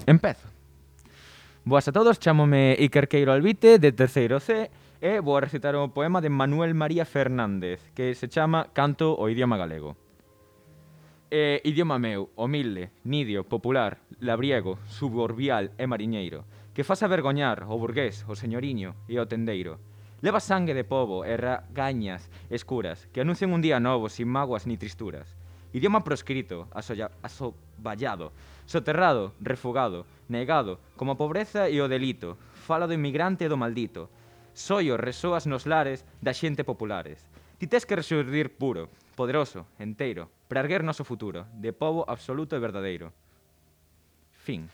Empezo. Boas a todos, chámome Iker Queiro Albite, de terceiro C, e vou a recitar o poema de Manuel María Fernández, que se chama Canto o idioma galego. Idioma meu, humilde, nidio, popular, labriego, suburbial e mariñeiro, que faz avergoñar o burgués, o señoriño e o tendeiro. Leva sangue de pobo e ragañas escuras que anuncian un día novo sin mágoas ni tristuras. Idioma proscrito, asoballado, soterrado, refugado, negado, como a pobreza e o delito, fala do inmigrante e do maldito. Soio resoas nos lares da xente populares. Ti tes que resurdir puro, poderoso, enteiro, para erguer noso futuro, de pobo absoluto e verdadeiro. Fin.